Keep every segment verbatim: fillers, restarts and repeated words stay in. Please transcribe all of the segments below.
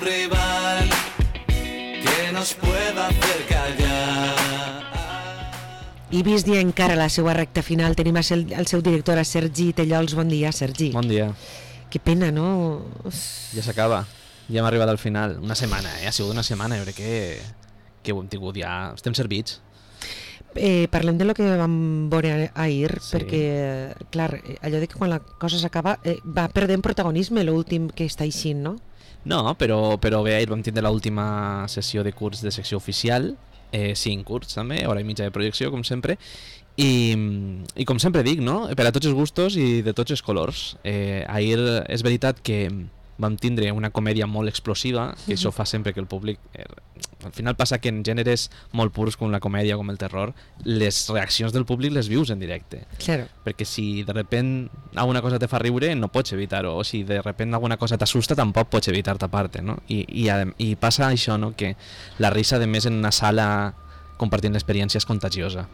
rival que nos pueda hacer callar. I vist ja encara la seva recta final, tenim el, el seu director, a Sergi Tellols. Bon dia, Sergi. Bon dia. Que pena, no? Ja s'acaba. Ja hem arribat al final. Una setmana, eh? Ha sigut una setmana. Jo crec que, que ho hem tingut ja. Estem servits. Eh, parlem de lo que vam veure ahir, Sí. perquè, clar, allò de que quan la cosa s'acaba eh, va perdent protagonisme l'últim que està així, no? No, però, però bé, ahir vam tindre l'última sessió de curs de secció oficial, eh, cinc curs també, hora i mitja de projecció, com sempre, i, i com sempre dic, no? Per a tots els gustos i de tots els colors. Eh, ahir és veritat que vam tindre una comèdia molt explosiva, que això fa sempre que el públic... Eh, al final passa que en gèneres molt purs com la comèdia, com el terror, les reaccions del públic les vius en directe. Claro. Perquè si de repent alguna cosa te fa riure no pots evitar-ho, o si de repent alguna cosa t'assusta tampoc pots evitar tapar-te, no? I, i, i passa això, no? Que la risa de més en una sala compartint l'experiència és contagiosa,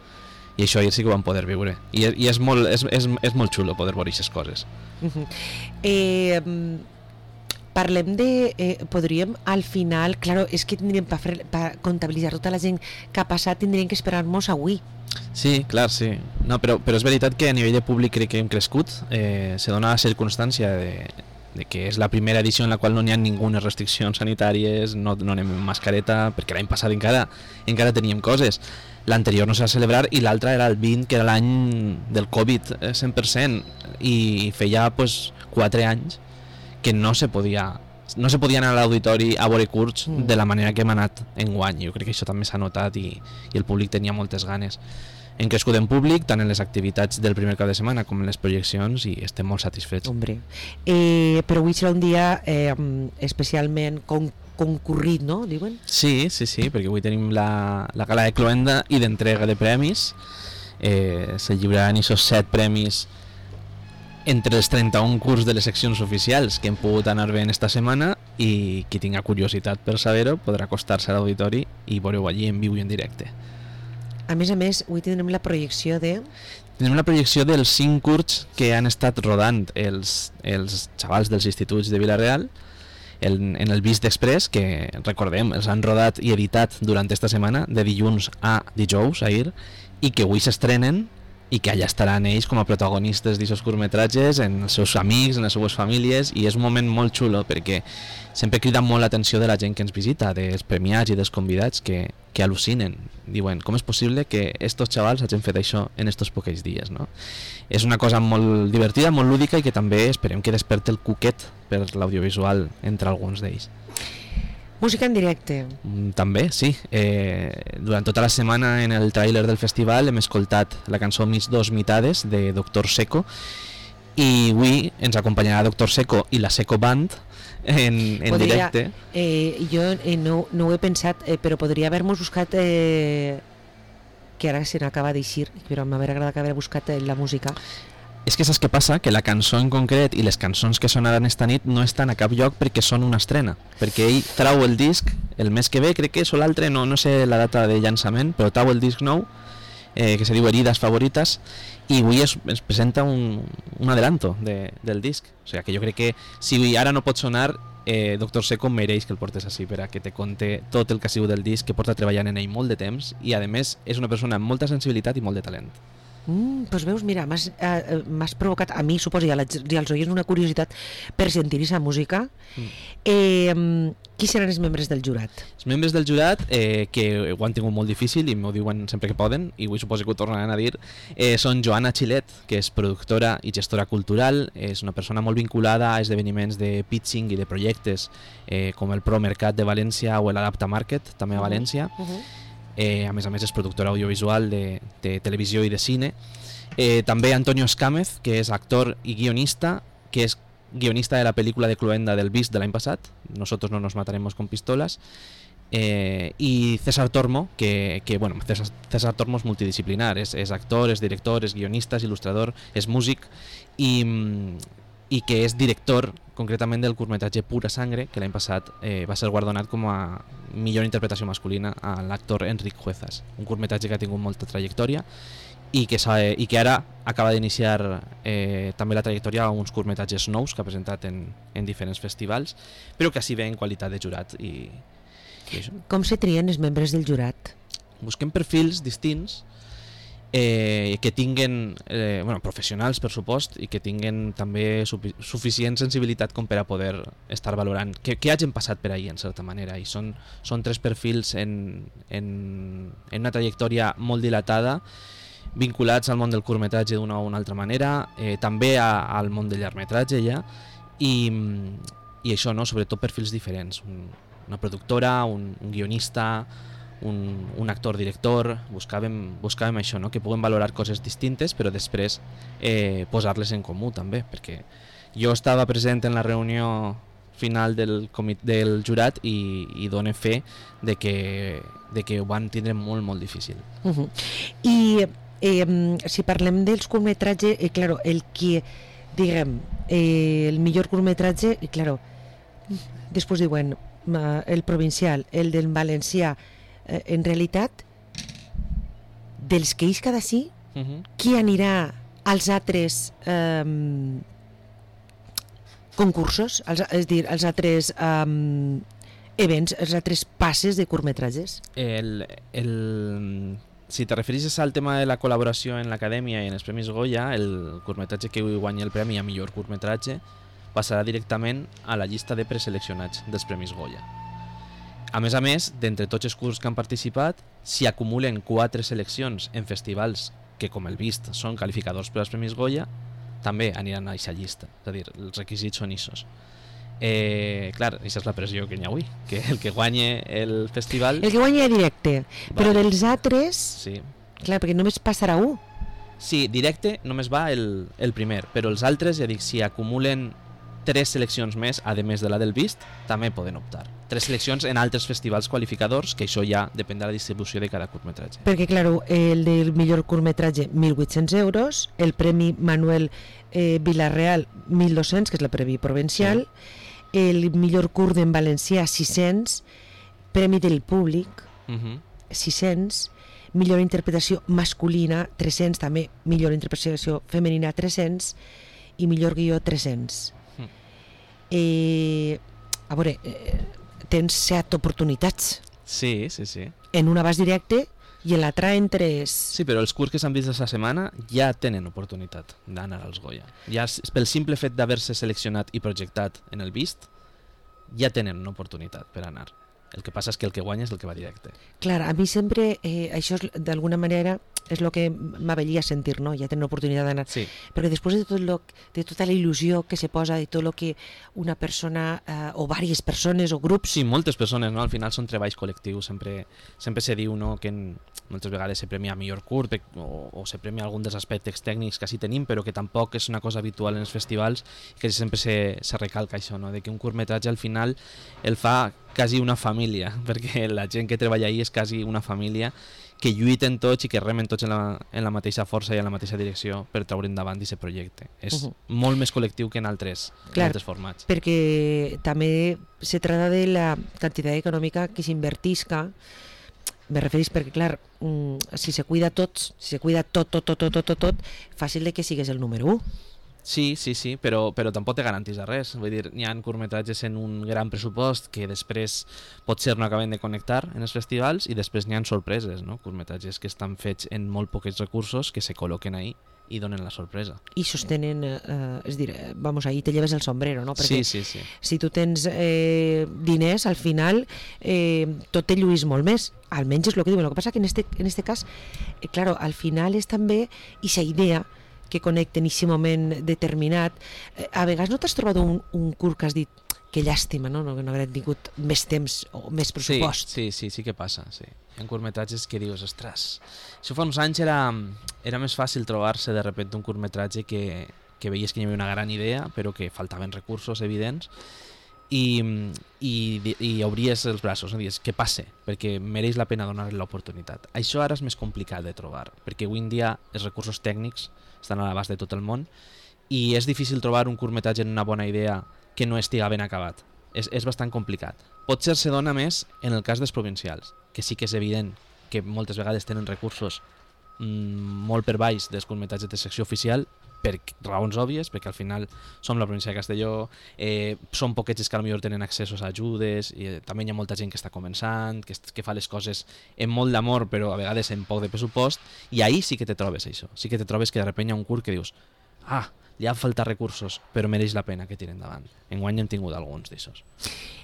i això ahir sí que ho vam poder viure, i, i és, molt, és, és, és molt xulo poder veure aquestes coses. Uh-huh. eh, Parlem de... Eh, podríem al final... Claro, és que tindríem per pa comptabilitzar tota la gent que ha passat, tindríem que esperar-nos avui. Sí, clar, sí. No, però, però és veritat que a nivell de públic crec que hem crescut. Eh, se dona la circumstància de, de que és la primera edició en la qual no n'hi ha ninguna restriccions sanitàries, no, no anem amb mascareta, perquè l'any passat encara, encara teníem coses. L'anterior no s'ha de celebrar i l'altre era el vint, que era l'any del Covid cent per cent, i feia pues, quatre anys que no se podia no se podia anar a l'auditori a veure curts mm. de la manera que hem anat enguany. Jo crec que això també s'ha notat i, i el públic tenia moltes ganes. Hem crescut en públic, tant en les activitats del primer cap de setmana com en les projeccions, i estem molt satisfets. Hombre, eh, però avui serà un dia eh, especialment con concurrit, no? Diuen? Sí, sí, sí, perquè avui tenim la, la gala de cloenda i d'entrega de premis. Eh, se lliuraran aquests set premis entre els trenta-un curs de les seccions oficials que hem pogut anar veient esta setmana, i qui tinga curiositat per saber-ho podrà acostar-se a l'auditori i veure-ho allí en viu i en directe. A més a més, avui tindrem la projecció de... Tenim la projecció dels cinc curts que han estat rodant els, els xavals dels instituts de Vila-real en, en el Vist Express, que recordem, els han rodat i editat durant esta setmana, de dilluns a dijous, ahir, i que avui s'estrenen i que allà estaran ells com a protagonistes d'aquests curtmetratges, en els seus amics, en les seues famílies, i és un moment molt xulo perquè sempre crida molt l'atenció de la gent que ens visita, dels premiats i dels convidats, que, que al·lucinen. Diuen, com és possible que estos xavals hagin fet això en estos poquets dies, no? És una cosa molt divertida, molt lúdica, i que també esperem que desperti el cuquet per l'audiovisual entre alguns d'ells. Música en directe. També, sí. Eh, durant tota la setmana en el tràiler del festival hem escoltat la cançó Mis dos mitades de Doctor Seco, i avui ens acompanyarà Doctor Seco i la Seco Band en, en podria, directe. Eh, jo eh, no, no ho he pensat, eh, però podria haver-nos buscat... Eh, que ara se n'acaba d'eixir, però m'hauria agradat haver buscat eh, la música. És que saps què passa? Que la cançó en concret i les cançons que sonaran esta nit no estan a cap lloc perquè són una estrena, perquè ell trau el disc el mes que ve, crec que és, o l'altre, no, no sé la data de llançament, però trau el disc nou, eh, que se diu Heridas Favoritas, i avui es, es presenta un, un adelanto de, del disc. O sigui que jo crec que si ara no pot sonar, eh, Doctor Seco mereix que el portes així per a que te conte tot el que ha sigut del disc, que porta treballant en ell molt de temps, i a més és una persona amb molta sensibilitat i molt de talent. Mm, doncs veus, mira, m'has eh, provocat a mi, suposo, i, a la, i als oients una curiositat per sentir aquesta música. Mm. Eh, qui seran els membres del jurat? Els membres del jurat, eh, que ho han tingut molt difícil i m'ho diuen sempre que poden, i avui suposo que ho tornaran a dir, eh, són Joana Xilet, que és productora i gestora cultural, és una persona molt vinculada a esdeveniments de pitching i de projectes eh, com el Pro Mercat de València o l'Adapta Market, també a València. Uh -huh. Eh, a més a més és productora audiovisual de, de televisió i de cine. Eh, també Antonio Escámez, que és actor i guionista, que és guionista de la pel·lícula de Cloenda del Vist de l'any passat, Nosotros no nos mataremos con pistolas, eh, i César Tormo, que, que bueno, César, César Tormo és multidisciplinar, és, és actor, és director, és guionista, és il·lustrador, és músic, i, i que és director concretament del curtmetratge Pura Sangre, que l'any passat eh, va ser guardonat com a millor interpretació masculina a l'actor Enric Juezas, un curtmetratge que ha tingut molta trajectòria i que, i que ara acaba d'iniciar eh, també la trajectòria a uns curtmetratges nous que ha presentat en, en diferents festivals, però que així ve en qualitat de jurat. I, i això. Com se trien els membres del jurat? Busquem perfils distints eh, que tinguen eh, bueno, professionals, per supost, i que tinguen també sufi suficient sensibilitat com per a poder estar valorant que, que hagin passat per ahí, en certa manera. I són, són tres perfils en, en, en una trajectòria molt dilatada, vinculats al món del curtmetratge d'una o una altra manera, eh, també a, al món del llargmetratge ja, i, i això, no? Sobretot perfils diferents, un, una productora, un, un guionista, un, un actor-director, buscàvem, buscàvem això, no? Que puguen valorar coses distintes però després eh, posar-les en comú també, perquè jo estava present en la reunió final del, del jurat i, i dono fe de que, de que ho van tindre molt molt difícil. Uh -huh. I eh, si parlem dels curtmetratges, eh, claro, el que diguem eh, el millor curtmetratge, eh, claro, després diuen uh, el provincial, el del valencià, eh, en realitat dels que ells cada sí, uh -huh. qui anirà als altres eh, concursos, als, és a dir, als altres um, events, als altres passes de curtmetratges? El, el, si te referissis al tema de la col·laboració en l'acadèmia i en els Premis Goya, el curtmetratge que guanya el premi a millor curtmetratge passarà directament a la llista de preseleccionats dels Premis Goya. A més a més, d'entre tots els curts que han participat, si acumulen quatre seleccions en festivals que, com el vist, són qualificadors per als Premis Goya, també aniran a aquesta llista, és a dir, els requisits són issos. Eh, clar, aquesta és la pressió que hi ha avui, que el que guanye el festival... El que guanya directe, vale. Però dels altres... Sí. Clar, perquè només passarà un. Sí, directe només va el, el primer, però els altres, ja dic, si acumulen tres seleccions més, a més de la del vist, també poden optar. Tres seleccions en altres festivals qualificadors, que això ja depèn de la distribució de cada curtmetratge. Perquè, clar, el del millor curtmetratge, mil vuit-cents euros, el Premi Manuel eh, Vilarreal, mil dos-cents, que és el Premi Provincial, sí. El millor curt en valencià, sis-cents, Premi del Públic, uh-huh. sis-cents, millor interpretació masculina, tres-cents, també millor interpretació femenina, tres-cents, i millor guió, tres-cents. Uh-huh. Eh, a veure... Eh, tens set oportunitats. Sí, sí, sí. En una vas directe i en l'altra en tres... Sí, però els curts que s'han vist aquesta setmana ja tenen oportunitat d'anar als Goya. Ja, pel simple fet d'haver-se seleccionat i projectat en el vist, ja tenen una oportunitat per anar. El que passa és que el que guanya és el que va directe. Clar, a mi sempre eh, això d'alguna manera és el que m'avellia sentir, no? Ja tenen l'oportunitat d'anar. Sí. Perquè després de, tot lo, de tota la il·lusió que se posa, de tot el que una persona eh, o diverses persones o grups... Sí, moltes persones, no? Al final són treballs col·lectius. Sempre, sempre se diu, no?, que en, moltes vegades se premia millor curt o, o se premia algun dels aspectes tècnics que sí tenim, però que tampoc és una cosa habitual en els festivals, que sempre se, se recalca això, no?, de que un curtmetratge al final el fa quasi una família, perquè la gent que treballa ahí és quasi una família que lluiten tots i que remen tots en la, en la mateixa força i en la mateixa direcció per treure endavant aquest projecte. És uh -huh. molt més col·lectiu que en altres, clar, en altres formats. Perquè també se trata de la quantitat econòmica que s'invertisca. Me referís perquè, clar, si se cuida tots, si se cuida tot, tot, tot, tot, tot, tot, tot, fàcil de que sigues el número u. Sí, sí, sí, però, però tampoc te garantís de res. Vull dir, hi ha curtmetratges en un gran pressupost que després potser no acaben de connectar en els festivals i després n'hi ha sorpreses, no? Curtmetratges que estan fets en molt pocs recursos que se col·loquen ahí i donen la sorpresa. I sostenen, eh, és dir, vamos, ahí te lleves el sombrero, no? Sí, Perquè sí, sí. Si tu tens eh, diners, al final eh, tot te lluís molt més. Almenys és el que diuen. El que passa que en este, en este cas, eh, claro, al final és també aquesta idea que connecten en aquest moment determinat. Eh, a vegades no t'has trobat un, un curt que has dit que llàstima, no? No, no haguem tingut més temps o més pressupost. Sí, sí, sí, sí que passa, sí. Hi ha curtmetratges que dius, ostres, això fa uns anys era, era més fàcil trobar-se de repente un curtmetratge que, que veies que hi havia una gran idea, però que faltaven recursos evidents, i, i, i obries els braços, no? Dius, què passa? Perquè mereix la pena donar-li l'oportunitat. Això ara és més complicat de trobar, perquè avui en dia els recursos tècnics estan a l'abast de tot el món i és difícil trobar un curtmetratge en una bona idea que no estiga ben acabat. És, és bastant complicat. Potser se dona més en el cas dels provincials, que sí que és evident que moltes vegades tenen recursos mm, molt per baix dels curtmetratges de secció oficial, per raons òbvies, perquè al final som la província de Castelló, eh, són poquets els que potser tenen accessos a ajudes, i eh, també hi ha molta gent que està començant, que, que fa les coses amb molt d'amor, però a vegades amb poc de pressupost, i ahí sí que te trobes això, sí que te trobes que de repente hi ha un curt que dius, ah, li ha faltat recursos, però mereix la pena que tiren endavant. Enguany hem tingut alguns d'aixòs.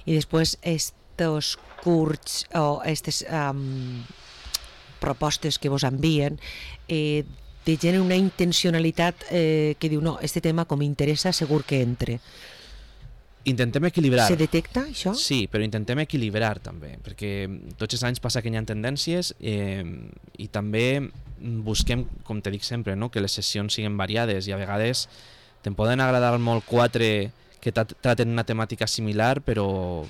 I després estos curts o aquestes um, propostes que vos envien, eh, de gent una intencionalitat eh, que diu, no, este tema com m'interessa segur que entre. Intentem equilibrar. Se detecta això? Sí, però intentem equilibrar també, perquè tots els anys passa que hi ha tendències eh, i també busquem, com te dic sempre, no? Que les sessions siguin variades i a vegades te'n poden agradar molt quatre que traten una temàtica similar, però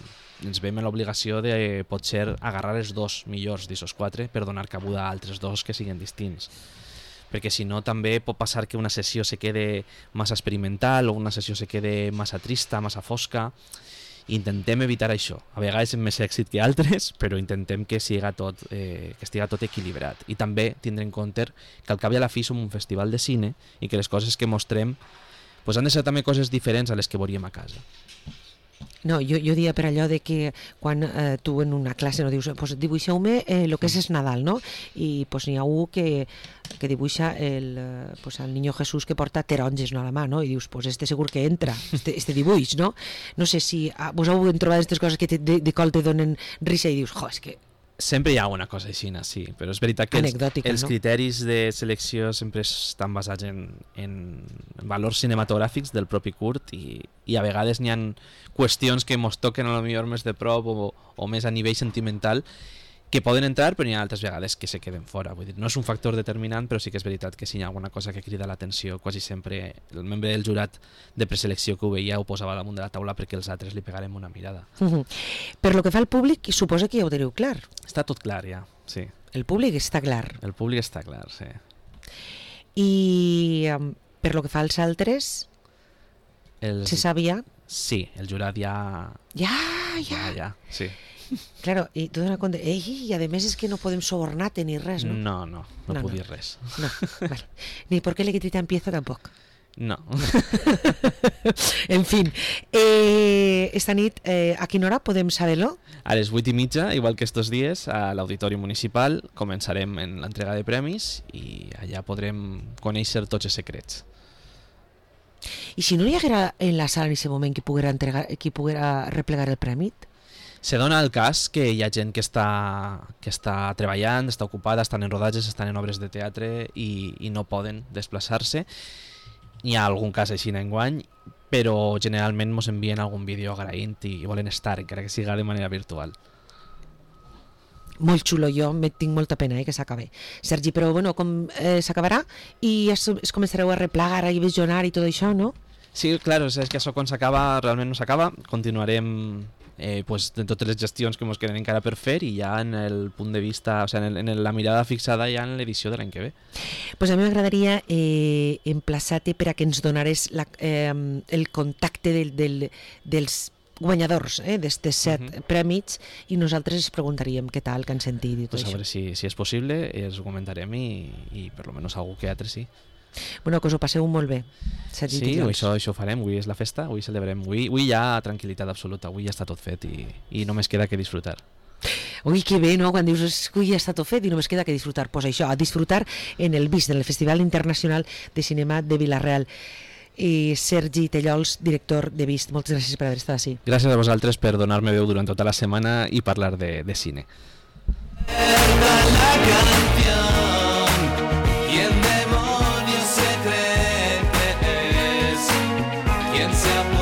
ens veiem en l'obligació de potser agarrar els dos millors d'aquests quatre per donar cabuda a altres dos que siguin distints. Perquè si no també pot passar que una sessió se quede massa experimental o una sessió se quede massa trista, massa fosca. Intentem evitar això. A vegades amb més èxit que altres, però intentem que siga tot, eh, que estiga tot equilibrat. I també tindre en compte que al cap i a la fi som un festival de cine i que les coses que mostrem pues, han de ser també coses diferents a les que veuríem a casa. No, jo, jo dia per allò de que quan eh, tu en una classe no dius, pues dibuixeu-me eh, lo que és el Nadal, no? I pues n'hi ha un que, que dibuixa el, eh, pues, el niño Jesús que porta taronges no, a la mà, no? I dius, pues este segur que entra, este, este dibuix, no? No sé si ah, vos heu trobat aquestes coses que te, de, de col te donen risa i dius, jo, és que... Sempre hi ha una cosa així, sí, però és veritat que els, els no? criteris de selecció sempre estan basats en, en valors cinematogràfics del propi curt i, i a vegades n'hi ha qüestions que mos toquen a lo millor més de prop o, o més a nivell sentimental que poden entrar, però n'hi ha altres vegades que se queden fora. Vull dir, no és un factor determinant, però sí que és veritat que si hi ha alguna cosa que crida l'atenció, quasi sempre el membre del jurat de preselecció que ho veia ho posava damunt de la taula perquè els altres li pegarem una mirada. Uh-huh. Per lo que fa al públic, suposa que ja ho teniu clar. Està tot clar ja, sí. El públic està clar. El públic està clar, sí. I um, per lo que fa als altres, els... se sabia? Sí, el jurat ja... Ja, ja. Ja, ja, sí. Claro, i tu dones compte, ei, i a més és que no podem sobornar-te ni res, no? No, no, no, no puc no. dir res. No, vale. Ni por qué le quitita empieza tampoc. No. En fin, eh, esta nit, eh, a quina hora podem saber-lo? A les vuit i mitja, igual que estos dies, a l'Auditori Municipal començarem en l'entrega de premis i allà podrem conèixer tots els secrets. I si no hi haguera en la sala en aquest moment qui poguera, entregar, qui poguera replegar el premi? Se dona el cas que hi ha gent que està, que està treballant, està ocupada, estan en rodatges, estan en obres de teatre i, i no poden desplaçar-se. Hi ha algun cas així enguany, però generalment ens envien algun vídeo agraint i, i volen estar, encara que siga de manera virtual. Molt xulo, jo me tinc molta pena eh, que s'acabi. Sergi, però bueno, com eh, s'acabarà i es, es començareu a replegar i visionar i tot això, no? Sí, clar, és que això quan s'acaba realment no s'acaba, continuarem eh, pues, de totes les gestions que ens queden encara per fer i ja en el punt de vista, o sigui, en, el, en la mirada fixada ja en l'edició de l'any que ve. Pues a mi m'agradaria eh, emplaçar-te per a que ens donares la, eh, el contacte del, del, dels guanyadors eh, d'estes set uh -huh. prèmits i nosaltres es preguntaríem què tal, que han sentit i tot pues això. A veure si, si és possible, els ho comentarem i, i per lo menos algú que altre sí. Bueno, que us ho passeu molt bé. Sí, això, això ho farem, avui és la festa, avui celebrem, avui, avui hi ha tranquil·litat absoluta, avui ja està tot fet i, i només queda que disfrutar. Ui, que bé, no? Quan dius que ja està tot fet i només queda que disfrutar. Pues això, a disfrutar en el VIST, en el Festival Internacional de Cinema de Vila-real. I Sergi Tellols, director de VIST, moltes gràcies per haver estat així. Gràcies a vosaltres per donar-me veu durant tota la setmana i parlar de, de cine. La canción, ¿quién demonios se cree que es? ¿Quién se ha